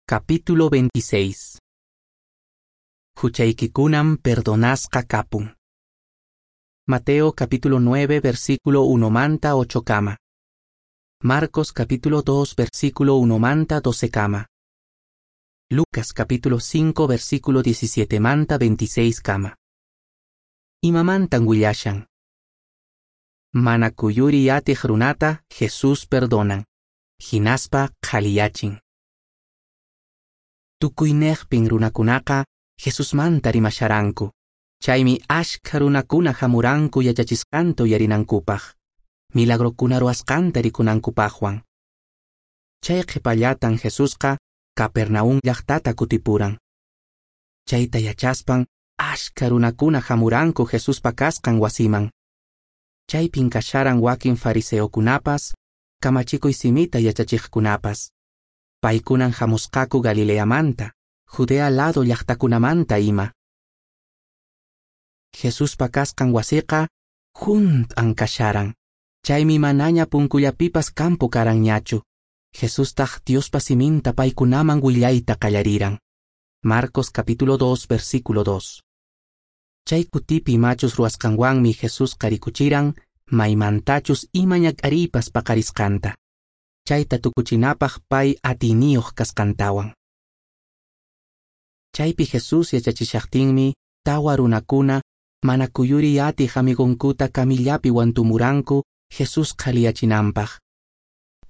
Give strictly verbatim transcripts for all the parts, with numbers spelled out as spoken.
Capítulo veintiséis. Huchaykikunam perdonasqa kapun. Mateo capítulo nueve versículo uno manta ocho kama. Marcos capítulo dos versículo uno manta doce kama. Lucas capítulo cinco versículo diecisiete manta veintiséis kama. Imamantan willashan. Mana kuyuri atiq runata Jesús perdonan. Hinaspa qhaliyachin. Tukuynejpin runakunaqa Jesusmanta rimasharanku. Chaymi ashkha runakuna hamuranku yachachisqanta uyarinankupaq, milagrokuna ruwasqanta rikunankupaqwan. Chay qhipallatan Jesusqa Capernaum llaqtata kutipuran. Chayta yachaspan ashkha runakuna hamuranku Jesuspa kasqan wasiman. Chaypin kasharan wakin fariseokunapas, kamachikuy simita yachachiqkunapas. Paykunan hamusqaku Galileamanta, Judea lado llaqtakunamanta ima. Jesuspa kasqan wasiqa hunt'an kasharan. Chaymi manaña punkullapipas campo karanñachu. Jesustaq Diospa siminta paykunaman willayta qallariran. Marcos capítulo dos versículo dos. Chay kutipi machus ruwasqanwanmi Jesusqa rikuchiran maymantachus ima ñak'ariypas paqarisqanta. Chayta tukuchinapaq pay atiyniyuq kasqantawan. Chaypi Jesús yachachishaqtinmi tawa runakuna mana kuyuri atiq amigonkuta kamillapi wantumuranku Jesús qhaliyachinanpaq.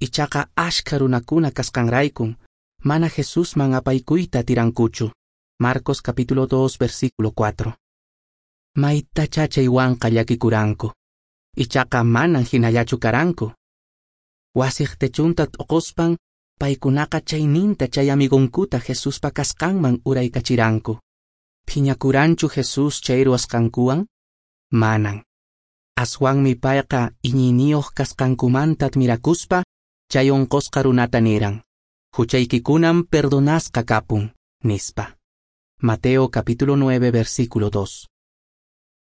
Ichaqa ashkha runakuna kasqanraykun mana Jesusman apaykuyta atirankuchu. Marcos capítulo dos versículo cuatro. Maytacha chaywanqa llakikuranku. Ichaqa manan hinallachu karanku. Wasiq techunta t'uquspan paykunaqa chayninta chay amigonkuta Jesuspa kasqanman uraykachiranku. Phiñakuranchu Jesús chay ruwasqankuwan? Manan. Aswanmi payqa iñiyniyuq kasqankumanta admirakuspa chay unqusqa runata niran: Huchaykikunam perdonasqa kapun, nispa. Mateo capítulo nueve versículo dos.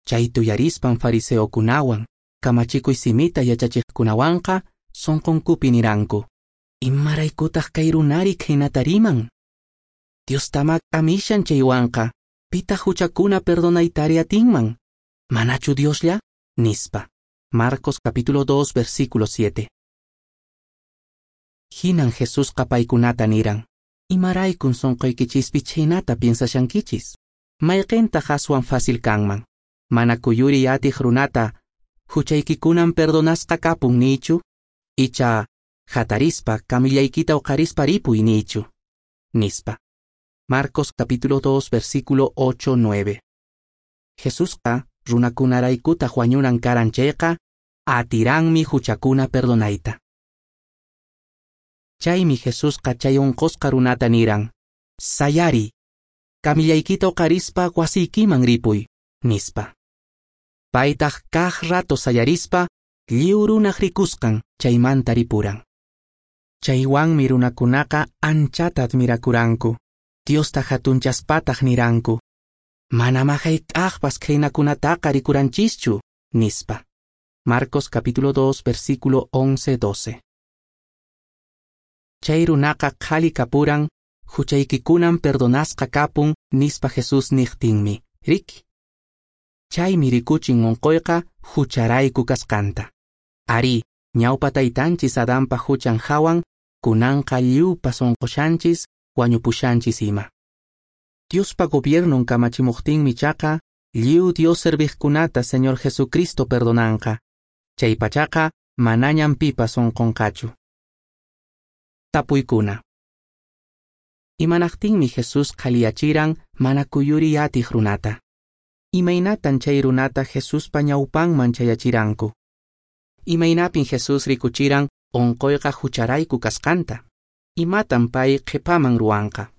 Chay tuyarispan fariseokunawan, kamachikuy simita yachachiqkunawanqa sunqunkupi niranku: Imaraykutaq kay runari khaynata riman? Diostama k'amishan chaywanqa, pitaq huchakuna perdonaytari atinman? Manachu Dioslla? Nispa. Marcos capítulo dos versículo siete. Hinan Jesusqa paykunata niran: Imaraykun sunquykichispi chhaynata piensashankichis? Mayqintaq aswan fácil kanman? Mana kuyuri atiq runata huchaykikunan perdonasqa kapun nichu? Icha hatarispa kamillaykita uqarispa ripuy nichu? Nispa. Marcos capítulo dos versículo ocho nueve. Jesusqa runakunaraykutaq wañunan karan chayqa atiranmi huchakuna perdonayta. Chaymi Jesusqa chay unqusqa runata niran: Sayari, kamillaykita uqarispa wasiykiman ripuy, nispa. Paytaq kaq rato sayarispa lliw runaq rikusqan chaymanta ripuran. Chaywanmi runakunaqa anchata admirakuranku, Diosta hatunchaspataq niranku: Manama hayk'aqpas khaynakunataqa rikuranchischu, nispa. Marcos capítulo dos versículo once doce. Chay runaqa qhali kapuran, huchaykikunan perdonasqa kapun, nispa Jesús niqtinmi, riki. Chaymi rikuchin unquyqa hucharayku kasqanta. Ari, ñawpa taytanchis Adanpa huchan hawan, kunanqa lliwpas unqushanchis, wañupushanchis ima. Diospa gobiernon kamachimuqtinmi chaqa, lliw Dios serviqkunata Señor Jesucristo perdonanqa. Chaypachaqa manañam pipas unqunqachu. Tapuykuna. Imanaqtinmi Jesús qhaliyachiran mana kuyuri atiq runata? Imaynatan chay runata Jesuspa ñawpanman chayachiranku? Imaynapin Jesús rikuchiran unquyqa hucharayku kasqanta? Imatan pay qhipaman ruwanqa?